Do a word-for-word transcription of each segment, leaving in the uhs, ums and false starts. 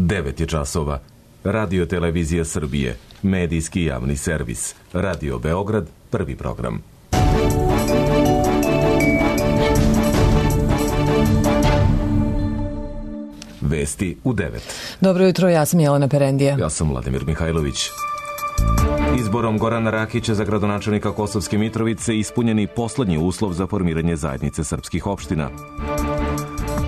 devet je časova. Radio Televizija Srbije, medijski javni servis. Radio Beograd, prvi program. Vesti u devet. Dobro jutro, ja sam Jelena Perendija. Ja sam Vladimir Mihajlović. Izborom Gorana Rakića za gradonačelnika Kosovske Mitrovice ispunjeni poslednji uslov za formiranje zajednice srpskih opština.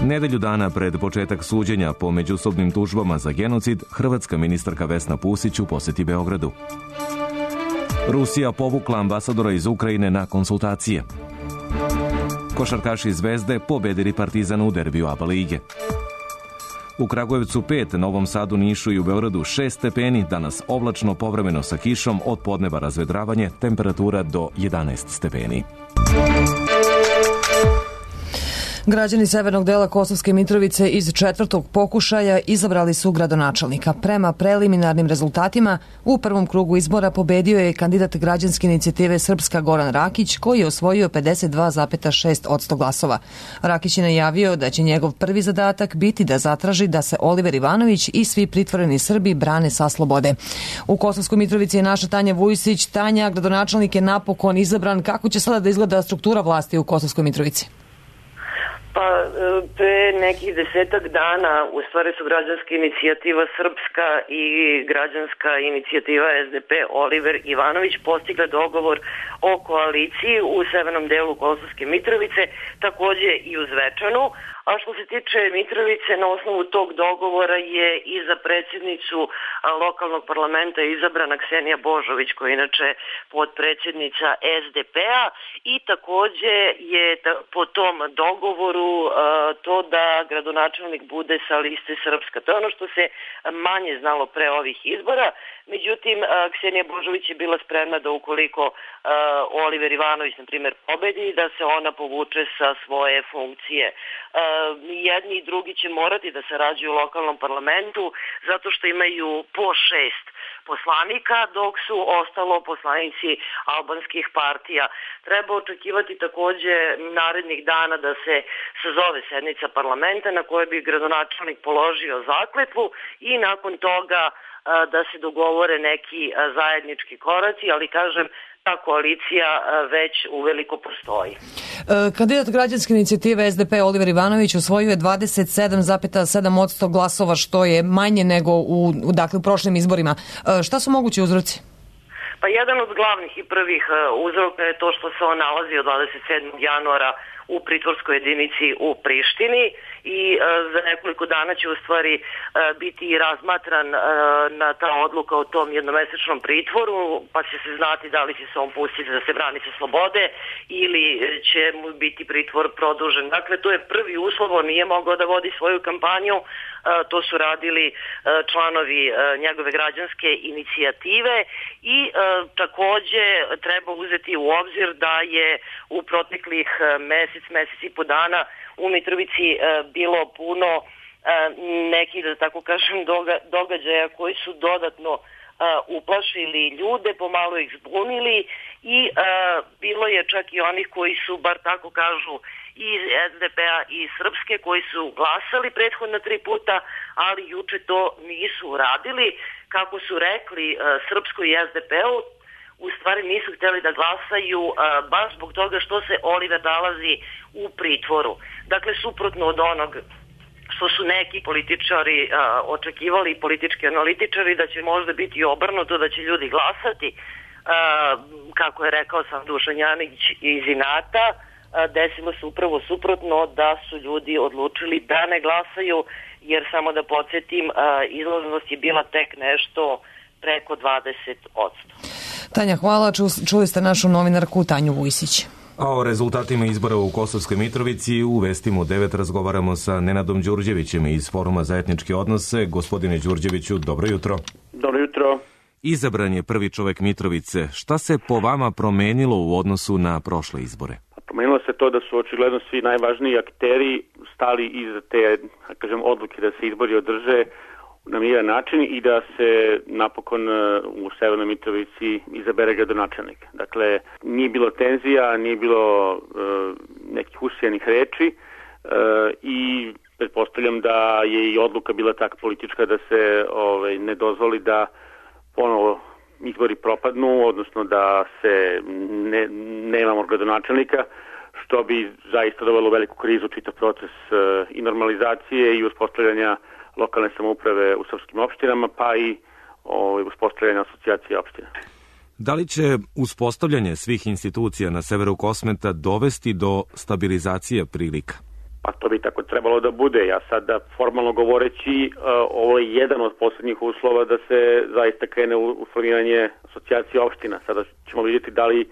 Nedelju dana pred početak suđenja po međusobnim tužbama za genocid, hrvatska ministarka Vesna Pusić u poseti Beogradu. Rusija povukla ambasadora iz Ukrajine na konsultacije. Košarkaši Zvezde pobedili Partizan u derbiju A B A lige. U Kragujevcu pet, Novom Sadu, Nišu i u Beogradu šest stepeni, danas oblačno, povremeno sa kišom, od podneva razvedravanje, temperatura do jedanaest stepeni. Građani severnog dela Kosovske Mitrovice iz četvrtog pokušaja izabrali su gradonačelnika. Prema preliminarnim rezultatima, u prvom krugu izbora pobedio je kandidat građanske inicijative Srpska Goran Rakić, koji je osvojio pedeset dva zarez šest posto glasova. Rakić je najavio da će njegov prvi zadatak biti da zatraži da se Oliver Ivanović i svi pritvoreni Srbi brane sa slobode. U Kosovskoj Mitrovici je naša Tanja Vujsić. Tanja, gradonačelnik je napokon izabran. Kako će sada da izgleda struktura vlasti u Kosovskoj Mitrovici? Pa, pre nekih desetak dana u stvari su građanska inicijativa Srpska i građanska inicijativa S D P Oliver Ivanović postigle dogovor o koaliciji u severnom delu Kosovske Mitrovice, takođe i u Zvečanu. A što se tiče Mitrovice, na osnovu tog dogovora je i za predsjednicu lokalnog parlamenta izabrana Ksenija Božović, koja je inače podpredsjednica S D P-a, i takođe je po tom dogovoru to da gradonačelnik bude sa liste Srpska. To je ono što se manje znalo pre ovih izbora. Međutim, Ksenija Božović je bila spremna da ukoliko Oliver Ivanović, na primjer, pobedi, da se ona povuče sa svoje funkcije. Jedni i drugi će morati da sarađuju u lokalnom parlamentu zato što imaju po šest poslanika, dok su ostalo poslanici albanskih partija. Treba očekivati takođe narednih dana da se sazove sednica parlamenta na kojoj bi gradonačelnik položio zakletvu i nakon toga da se dogovore neki zajednički koraci, ali kažem, ta koalicija već uveliko postoji. Kandidat građanske inicijative S D P Oliver Ivanović osvojio je dvadeset sedam zarez sedam posto glasova, što je manje nego u, dakle, u prošlim izborima. Šta su mogući uzroci? Pa jedan od glavnih i prvih uzroka je to što se on nalazi od dvadeset sedmog januara u pritvorskoj jedinici u Prištini i e, za nekoliko dana će u stvari e, biti razmatran e, na ta odluka o tom jednomesečnom pritvoru, pa će se znati da li će se on pustiti da se brani sa slobode ili će mu biti pritvor produžen. Dakle, to je prvi uslov, on nije mogao da vodi svoju kampanju, e, to su radili e, članovi e, njegove građanske inicijative i e, takođe treba uzeti u obzir da je u proteklih mesec mesec i po dana u Mitrovici e, bilo puno e, nekih, da tako kažem, doga, događaja koji su dodatno e, uplašili ljude, pomalo ih zbunili i e, bilo je čak i onih koji su, bar tako kažu, iz S D P-a i Srpske, koji su glasali prethodna tri puta, ali juče to nisu uradili. Kako su rekli e, Srpsko i S D P-u, u stvari nisu htjeli da glasaju a, baš zbog toga što se Oliver nalazi u pritvoru. Dakle, suprotno od onog što su neki političari a, očekivali, politički analitičari, da će možda biti obrnuto, da će ljudi glasati, a, kako je rekao sam Dušan Janić iz inata, a, desilo se upravo suprotno, da su ljudi odlučili da ne glasaju, jer samo da podsjetim, a, izlaznost je bila tek nešto preko dvadeset posto. Tanja, hvala. Čuli ste našu novinarku Tanju Vujsić. A o rezultatima izbora u Kosovskoj Mitrovici u Vestima u devet razgovaramo sa Nenadom Đurđevićem iz Foruma za etničke odnose. Gospodine Đurđeviću, dobro jutro. Dobro jutro. Izabran je prvi čovek Mitrovice. Šta se po vama promenilo u odnosu na prošle izbore? Promenilo se to da su očigledno svi najvažniji akteri stali iza te, kažem, odluke da se izbori održe na miran način i da se napokon u Severnoj Mitrovici izabere gradonačelnik. Dakle, nije bilo tenzija, nije bilo uh, nekih usijanih reči uh, i pretpostavljam da je i odluka bila tako politička da se ovaj, ne dozvoli da ponovo izbori propadnu, odnosno da se ne, nemamo gradonačelnika, što bi zaista dovelo veliku krizu čitav proces uh, i normalizacije i uspostavljanja lokalne samouprave u srpskim opštinama, pa i ovaj, uspostavljanja asocijacije opština. Da li će uspostavljanje svih institucija na severu Kosmeta dovesti do stabilizacije prilika? Pa to bi tako trebalo da bude. Ja sada formalno govoreći, uh, ovo je jedan od poslednjih uslova da se zaista krene u, u formiranje asocijacije opština. Sada ćemo vidjeti da li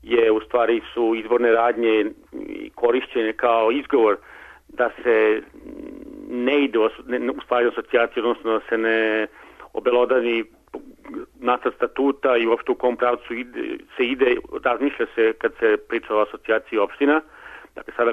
je u stvari su izborne radnje i korišćenje kao izgovor da se ne ide u stvari asocijaciju, odnosno da se ne obelodani nacrt statuta i uopšte u kom pravcu ide, se ide, razmišlja se kad se priča o asocijaciji opština. Dakle, sada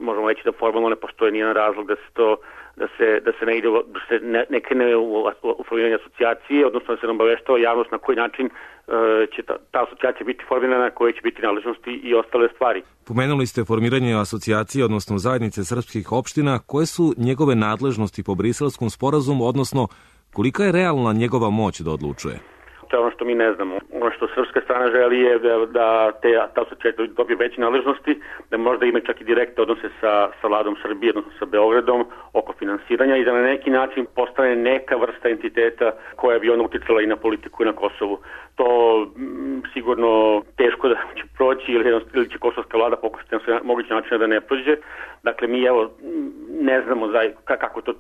možemo reći da formalno ne postoji nijedan razlog da se to da se da se ne ide da se ne, ne krene u, u formiranje asocijacije, odnosno da se ne obaveštava javnost na koji način uh, će ta, ta asocijacija biti formirana, koje će biti nadležnosti i ostale stvari. Pomenuli ste formiranje asocijacije, odnosno zajednice srpskih opština. Koje su njegove nadležnosti po Briselskom sporazumu, odnosno kolika je realna njegova moć da odlučuje? To je ono što mi ne znamo. Ono što srpska strana želi je da, da te, ta asocijacija dobije veće nadležnosti, da možda ima čak i direktne odnose sa, sa vladom Srbije, odnosno sa Beogradom, oko finansiranja i da na neki način postane neka vrsta entiteta koja bi ona uticala i na politiku i na Kosovu. To m, sigurno teško da će proći ili, ili će kosovska vlada pokušati na sve moguće načine da ne prođe. Dakle, mi evo ne znamo za, kako to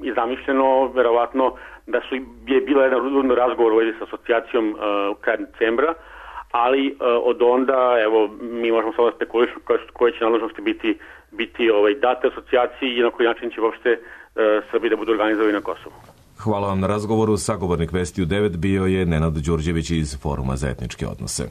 je zamišljeno, verovatno da su je bila jedan rudan razgovor u vezi sa asocijacijom uh, krajem decembra, ali uh, od onda, evo, mi možemo samo da spekulišemo koje će nadležnosti biti, biti ovaj, date asocijaciji i na koji način će uopšte uh, Srbi da budu organizovani na Kosovu. Hvala vam na razgovoru. Sagovornik Vesti u devet bio je Nenad Đurđević iz Foruma za etničke odnose.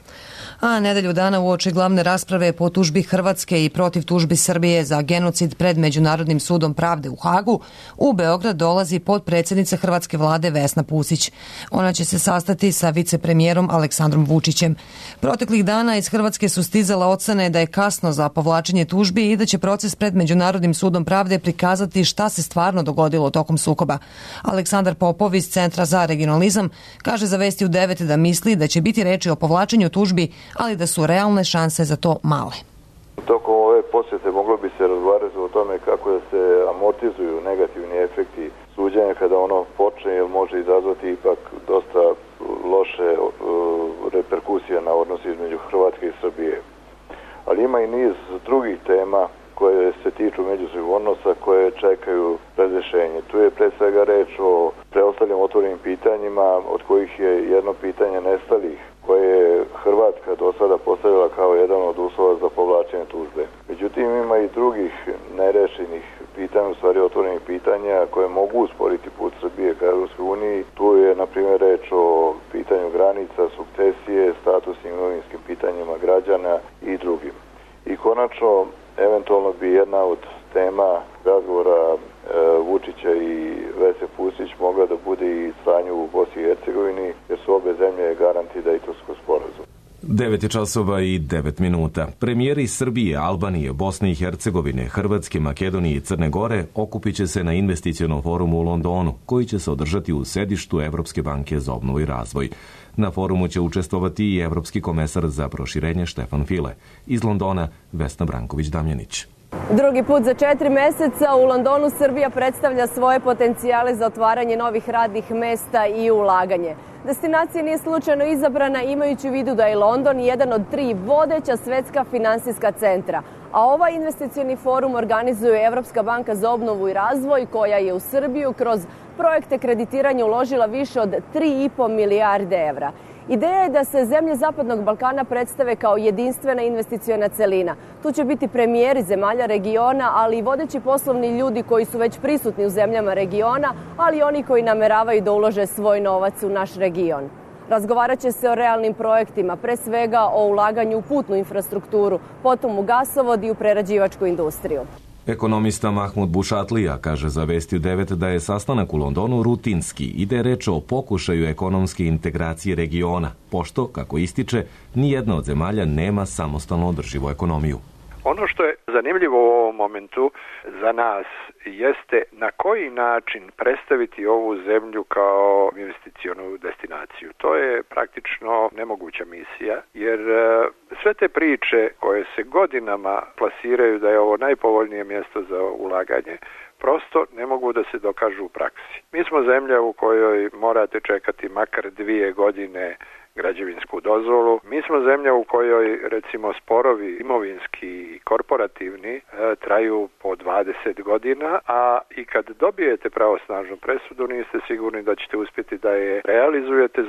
A nedelju dana uoči glavne rasprave po tužbi Hrvatske i protiv tužbi Srbije za genocid pred Međunarodnim sudom pravde u Hagu, u Beograd dolazi potpredsjednica hrvatske vlade Vesna Pusić. Ona će se sastati sa vicepremijerom Aleksandrom Vučićem. Proteklih dana iz Hrvatske su stizala ocene da je kasno za povlačenje tužbi i da će proces pred Međunarodnim sudom pravde prikazati šta se stvarno dogodilo tokom sukoba. Aleksandar Popov iz Centra za regionalizam kaže za Vesti u devet da misli da će biti reči o povlačenju tužbi, ali da su realne šanse za to male. Tokom ove posjete moglo bi se razgovarati o tome kako da se amortizuju negativni efekti suđenja kada ono počne, jer može izazvati ipak dosta loše uh, reperkusije na odnos između Hrvatske i Srbije. Ali ima i niz drugih tema koje se tiču međusobnih odnosa koje čekaju razrešenje. Tu je pre svega reč o preostalim otvorenim pitanjima, od kojih je jedno pitanje nestalih, koje je Hrvatska do sada postavila kao jedan od uslova za povlačenje tužbe. Međutim, ima i drugih nerešenih pitanja, u stvari otvorenih pitanja, koje mogu usporiti put Srbije ka Evropskoj uniji. Tu je, na primjer, reč o pitanju granica, sukcesije, statusnim imovinskim pitanjima građana i drugim. I konačno, eventualno bi jedna od tema razgovora e, Vučića i Vesne Pusić mogla da bude i stanje u Bosni i Hercegovini, jer su obe zemlje garanti Dejtonskog sporazuma. devet je časova i devet minuta. Premijeri Srbije, Albanije, Bosne i Hercegovine, Hrvatske, Makedonije i Crne Gore okupit će se na investicionom forumu u Londonu, koji će se održati u sedištu Evropske banke za obnovu i razvoj. Na forumu će učestvovati i Evropski komesar za proširenje Štefan File. Iz Londona, Vesna Branković-Damjanić. Drugi put za četiri meseca u Londonu Srbija predstavlja svoje potencijale za otvaranje novih radnih mesta i ulaganje. Destinacija nije slučajno izabrana imajući u vidu da je London jedan od tri vodeća svetska finansijska centra. A ovaj investicioni forum organizuje Evropska banka za obnovu i razvoj, koja je u Srbiju kroz projekte kreditiranja uložila više od tri i po milijarde evra. Ideja je da se zemlje Zapadnog Balkana predstave kao jedinstvena investiciona celina. Tu će biti premijeri zemalja regiona, ali i vodeći poslovni ljudi koji su već prisutni u zemljama regiona, ali i oni koji nameravaju da ulože svoj novac u naš region. Razgovarat će se o realnim projektima, pre svega o ulaganju u putnu infrastrukturu, potom u gasovod i u prerađivačku industriju. Ekonomista Mahmud Bušatlija kaže za Vesti u devet da je sastanak u Londonu rutinski i da je reč o pokušaju ekonomske integracije regiona, pošto, kako ističe, nijedna od zemalja nema samostalno održivu ekonomiju. Ono što je zanimljivo u ovom momentu za nas jeste na koji način predstaviti ovu zemlju kao investicionu destinaciju. To je praktično nemoguća misija, jer sve te priče koje se godinama plasiraju da je ovo najpovoljnije mjesto za ulaganje, prosto ne mogu da se dokažu u praksi. Mi smo zemlja u kojoj morate čekati makar dvije godine građevinsku dozvolu. Mi smo zemlja u kojoj, recimo, sporovi imovinski i korporativni e, traju po dvadeset godina, a i kad dobijete pravosnažnu presudu niste sigurni da ćete uspjeti da je realizujete.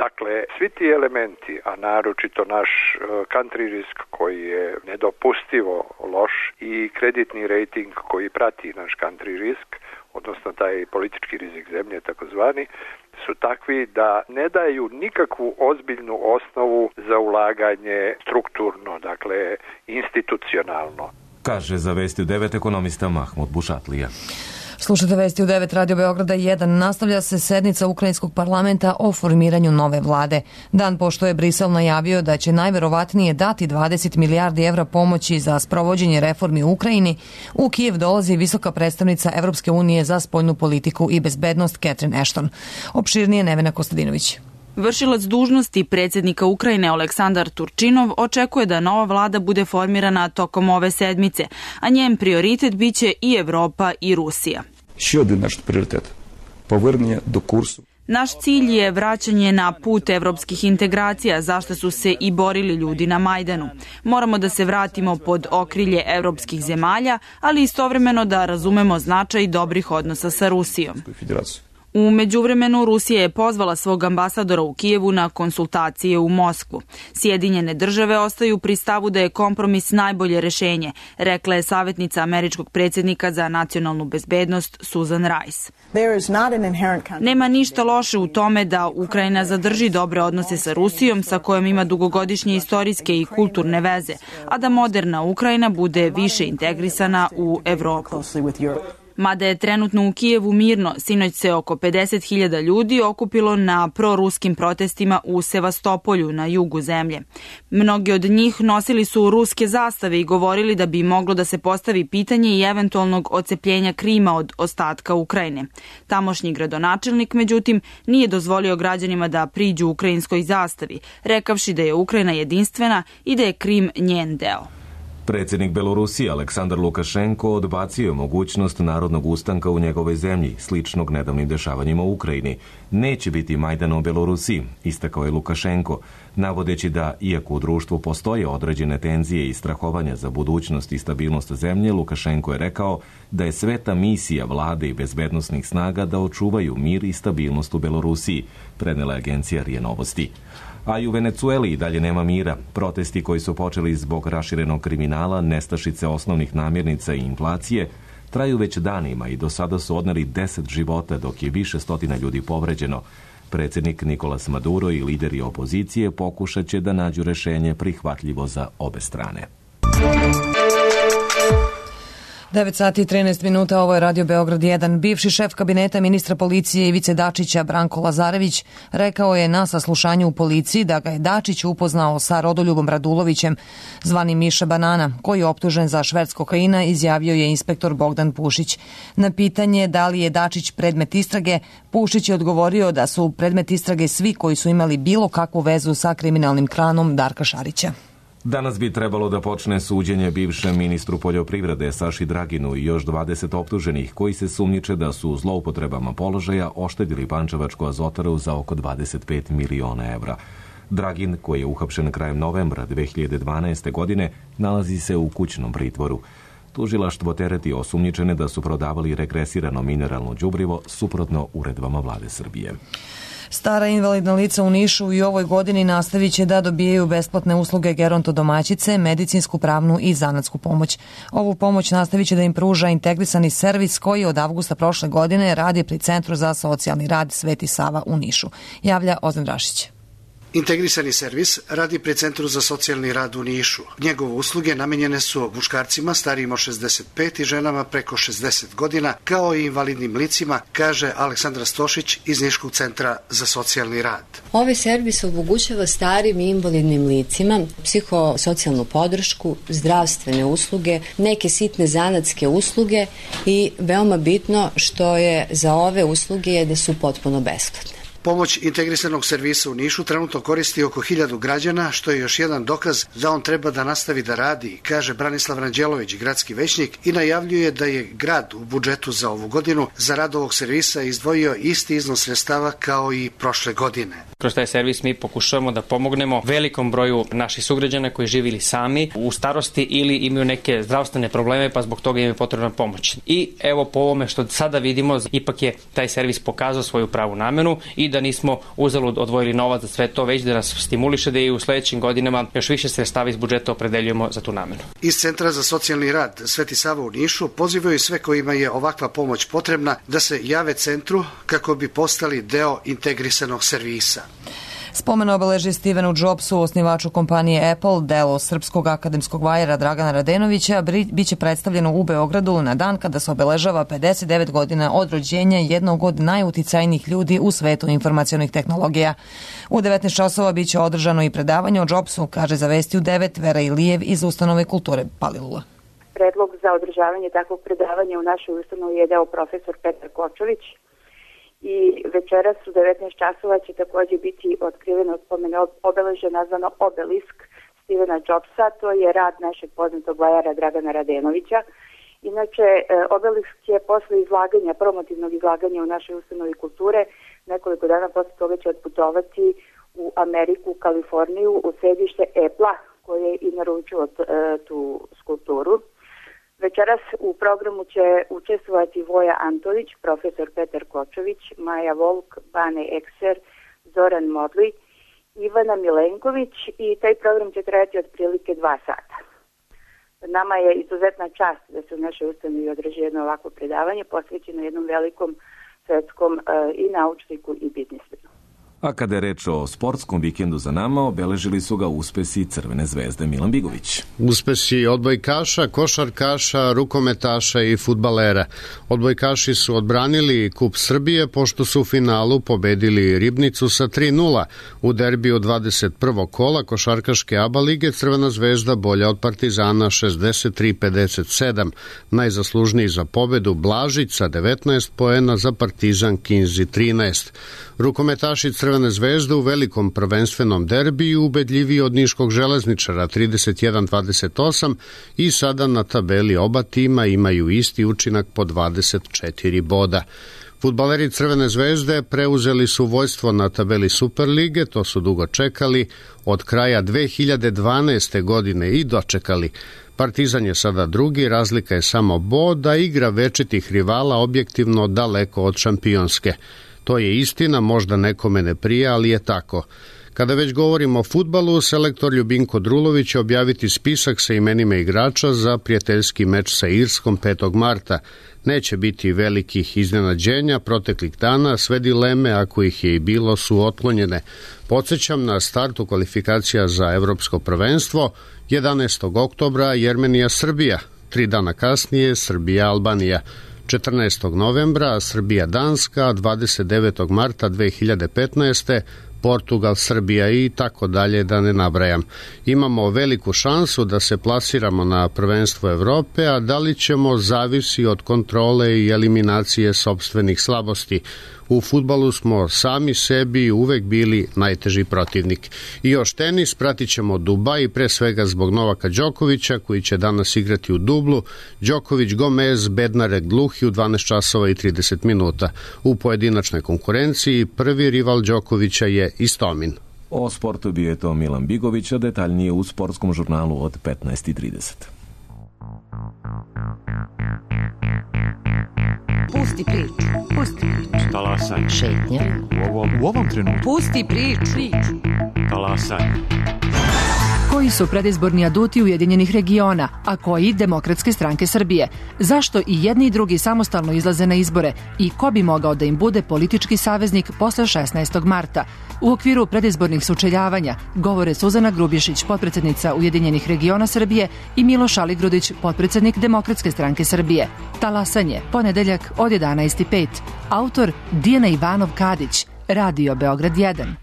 Dakle, svi ti elementi, a naročito naš e, country risk koji je nedopustivo loš i kreditni rating koji prati naš country risk, odnosno taj politički rizik zemlje takozvani, su takvi da ne daju nikakvu ozbiljnu osnovu za ulaganje strukturno, dakle institucionalno. Kaže za Vesti u devet ekonomista Mahmud Bušatlija. Slušajte Vesti u devet Radio Beograda jedan. Nastavlja se sednica Ukrajinskog parlamenta o formiranju nove vlade. Dan pošto je Brisel najavio da će najverovatnije dati dvadeset milijardi evra pomoći za sprovođenje reformi u Ukrajini, u Kijev dolazi visoka predstavnica Evropske unije za spoljnu politiku i bezbednost Catherine Ashton. Opširnije Nevena Kostadinović. Vršilac dužnosti predsjednika Ukrajine Aleksandar Turčinov očekuje da nova vlada bude formirana tokom ove sedmice, a njen prioritet biće i Evropa i Rusija. Ще один наш пріоритет – повернення до курсу. Naš cilj je vraćanje na put evropskih integracija, zašto su se i borili ljudi na Majdanu. Moramo da se vratimo pod okrilje evropskih zemalja, ali istovremeno da razumemo značaj dobrih odnosa sa Rusijom. U međuvremenu Rusija je pozvala svog ambasadora u Kijevu na konsultacije u Moskvu. Sjedinjene države ostaju pri stavu da je kompromis najbolje rešenje, rekla je savjetnica američkog predsjednika za nacionalnu bezbednost Susan Rice. Nema ništa loše u tome da Ukrajina zadrži dobre odnose sa Rusijom, sa kojom ima dugogodišnje istorijske i kulturne veze, a da moderna Ukrajina bude više integrisana u Evropu. Mada je trenutno u Kijevu mirno, sinoć se oko pedeset hiljada ljudi okupilo na proruskim protestima u Sevastopolju na jugu zemlje. Mnogi od njih nosili su ruske zastave i govorili da bi moglo da se postavi pitanje i eventualnog odcepljenja Krima od ostatka Ukrajine. Tamošnji gradonačelnik, međutim, nije dozvolio građanima da priđu ukrajinskoj zastavi, rekavši da je Ukrajina jedinstvena i da je Krim njen deo. Predsjednik Belorusije Aleksandar Lukašenko odbacio je mogućnost narodnog ustanka u njegovoj zemlji, sličnog nedavnim dešavanjima u Ukrajini. Neće biti Majdana u Belorusiji, istakao je Lukašenko, navodeći da, iako u društvu postoje određene tenzije i strahovanja za budućnost i stabilnost zemlje, Lukašenko je rekao da je sveta misija vlade i bezbednosnih snaga da očuvaju mir i stabilnost u Belorusiji, prenela je agencija R I A Novosti. A i u Venecueli i dalje nema mira. Protesti koji su počeli zbog raširenog kriminala, nestašice osnovnih namirnica i inflacije traju već danima i do sada su odneli deset života, dok je više stotina ljudi povređeno. Predsjednik Nicolas Maduro i lideri opozicije pokušat će da nađu rešenje prihvatljivo za obe strane. devet sati i trinaest minuta, ovo je Radio Beograd jedan. Bivši šef kabineta ministra policije Ivice Dačića, Branko Lazarević, rekao je na saslušanju u policiji da ga je Dačić upoznao sa Rodoljubom Radulovićem, zvani Miša Banana, koji je optužen za šverc kokaina, izjavio je inspektor Bogdan Pušić. Na pitanje da li je Dačić predmet istrage, Pušić je odgovorio da su predmet istrage svi koji su imali bilo kakvu vezu sa kriminalnim klanom Darka Šarića. Danas bi trebalo da počne suđenje bivšem ministru poljoprivrede Saši Draginu i još dvadeset optuženih koji se sumnjiče da su zloupotrebama položaja oštedili Pančevačku azotaru za oko dvadeset pet miliona evra. Dragin, koji je uhapšen krajem novembra dve hiljade dvanaeste. godine, nalazi se u kućnom pritvoru. Tužilaštvo tereti osumnjičene da su prodavali regresirano mineralno đubrivo suprotno uredbama vlade Srbije. Stara invalidna lica u Nišu i ovoj godini nastavit će da dobijaju besplatne usluge gerontodomaćice, medicinsku, pravnu i zanatsku pomoć. Ovu pomoć nastavit će da im pruža integrisani servis koji od avgusta prošle godine radi pri Centru za socijalni rad Sveti Sava u Nišu. Javlja Ozan Rašić. Integrisani servis radi pri Centru za socijalni rad u Nišu. Njegove usluge namenjene su muškarcima starijim od šezdeset pet i ženama preko šezdeset godina, kao i invalidnim licima, kaže Aleksandra Stošić iz Niškog centra za socijalni rad. Ovaj servis omogućava starim i invalidnim licima psihosocijalnu podršku, zdravstvene usluge, neke sitne zanatske usluge i veoma bitno što je za ove usluge je da su potpuno besplatne. Pomoć integrisanog servisa u Nišu trenutno koristi oko hiljadu građana, što je još jedan dokaz da on treba da nastavi da radi, kaže Branislav Ranđelović, gradski većnik, i najavljuje da je grad u budžetu za ovu godinu za rad ovog servisa izdvojio isti iznos sredstava kao i prošle godine. Kroz taj servis mi pokušavamo da pomognemo velikom broju naših sugrađana koji žive ili sami u starosti ili imaju neke zdravstvene probleme, pa zbog toga im je potrebna pomoć. I evo po ovome što sada vidimo, ipak je taj servis pokazao svoju pravu namenu i da nismo uzalud odvojili novac za sve to, već da nas stimuliše da i u sledećim godinama još više sredstava iz budžeta opredeljujemo za tu namenu. Iz Centra za socijalni rad Sveti Sava u Nišu pozivaju sve kojima je ovakva pomoć potrebna da se jave centru kako bi postali deo integrisanog servisa. Spomen obeleži Stevenu Jobsu, osnivaču kompanije Apple, delo srpskog akademskog vajera Dragana Radenovića, biće predstavljeno u Beogradu na dan kada se obeležava pedeset devet godina od rođenja jednog od najuticajnijih ljudi u svetu informacionih tehnologija. U devetnaest časova biće održano i predavanje o Jobsu, kaže za Vesti u devet Vera Ilijev iz Ustanove kulture Palilula. Predlog za održavanje takvog predavanja u našoj ustanovi je dao profesor Petar Kočović. I večeras u devetnaest časova će takođe biti otkriveno spomen obeležje nazvano Obelisk Stevena Jobsa. To je rad našeg poznatog vajara Dragana Radenovića. Inače, Obelisk je posle izlaganja, promotivnog izlaganja u našoj ustanovi kulture, nekoliko dana posle toga će otputovati u Ameriku, u Kaliforniju, u sedište Apple-a, koje je i naručilo tu skulpturu. Večeras u programu će učestvovati Voja Antolić, profesor Petar Kočović, Maja Volk, Bane Ekser, Zoran Modli, Ivana Milenković i taj program će trajati otprilike dva sata. Nama je izuzetna čast da se u našoj ustanovi održi jedno ovako predavanje posvećeno jednom velikom svetskom i naučniku i biznismenu. A kada je reč o sportskom vikendu za nama, obeležili su ga uspesi Crvene zvezde Milan Bigović. Uspesi odbojkaša, košarkaša, rukometaša i fudbalera. Odbojkaši su odbranili Kup Srbije pošto su u finalu pobedili Ribnicu sa tri nula. U derbiju dvadeset prvog kola košarkaške ABA lige Crvena zvezda bolja od Partizana šezdeset tri pedeset sedam. Najzaslužniji za pobedu Blažić sa devetnaest poena, za Partizan Kinzi trinaest. Rukometaši Crvene zvezde u velikom prvenstvenom derbiju ubedljiviji od niškog Železničara trideset jedan dvadeset osam i sada na tabeli oba tima imaju isti učinak po dvadeset četiri boda. Fudbaleri Crvene zvezde preuzeli su vođstvo na tabeli Superlige, to su dugo čekali, od kraja dve hiljade dvanaeste. godine i dočekali. Partizan je sada drugi, razlika je samo bod, a igra večitih rivala objektivno daleko od šampionske. To je istina, možda nekome ne prija, ali je tako. Kada već govorimo o fudbalu, selektor Ljubinko Drulović će objaviti spisak sa imenima igrača za prijateljski meč sa Irskom petog marta. Neće biti velikih iznenađenja proteklih dana, sve dileme, ako ih je i bilo, su otklonjene. Podsjećam na startu kvalifikacija za evropsko prvenstvo, jedanaestog oktobra Jermenija-Srbija, tri dana kasnije Srbija-Albanija. četrnaestog novembra Srbija-Danska, dvadeset devetog marta dve hiljade petnaeste. Portugal, Srbija i tako dalje, da ne nabrajam. Imamo veliku šansu da se plasiramo na prvenstvo Evrope, a da li ćemo zavisi od kontrole i eliminacije sopstvenih slabosti. U fudbalu smo sami sebi uvek bili najteži protivnik. I još tenis, pratit ćemo Dubaj, pre svega zbog Novaka Đokovića, koji će danas igrati u dublu. Đoković, Gomez, Bednarek, Gluhi u dvanaest časova i trideset minuta. U pojedinačnoj konkurenciji prvi rival Đokovića je Istomin. O sportu bio je to Milan Bigović, a detaljnije u sportskom žurnalu od petnaest i trideset. Pusti priču, pusti priču. Talasaj. Šetnja. U ovom, u ovom trenutku. Pusti priču. Talasaj. Koji su predizborni aduti Ujedinjenih regiona, a koji Demokratske stranke Srbije? Zašto i jedni i drugi samostalno izlaze na izbore i ko bi mogao da im bude politički saveznik posle šesnaestog marta? U okviru predizbornih sučeljavanja govore Suzana Grubješić, potpredsednica Ujedinjenih regiona Srbije, i Miloš Aligrudić, potpredsednik Demokratske stranke Srbije. Talasanje, ponedeljak od jedanaest i pet. Autor Dijana Ivanov-Kadić, Radio Beograd jedan.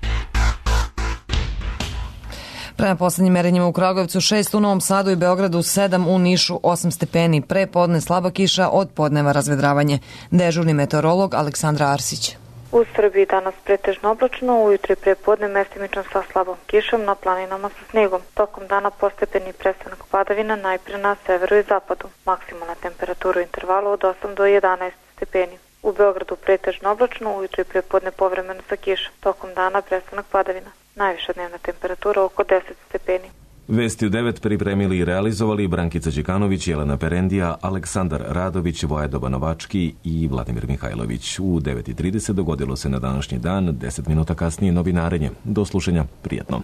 Prema poslednjim merenjima u Kragujevcu šest, u Novom Sadu i Beogradu sedam, u Nišu osam stepeni. Pre podne slaba kiša, od podneva razvedravanje. Dežurni meteorolog Aleksandra Arsić. U Srbiji danas pretežno oblačno, ujutro i pre podne mestimično sa slabom kišom, na planinama sa snegom. Tokom dana postepeni prestanak padavina najpre na severu i zapadu. Maksimalna temperatura u intervalu od osam do jedanaest stepeni. U Beogradu pretežno oblačno, ujutro i pre podne povremeno sa kišom. Tokom dana prestanak padavina. Najviša dnevna temperatura oko deset stepeni. Vesti u devet pripremili i realizovali Brankica Đekanović, Jelena Perendija, Aleksandar Radović, Vojedoba Novački i Vladimir Mihajlović. U devet i trideset dogodilo se na današnji dan, deset minuta kasnije novinarenje. Do slušanja, prijetno.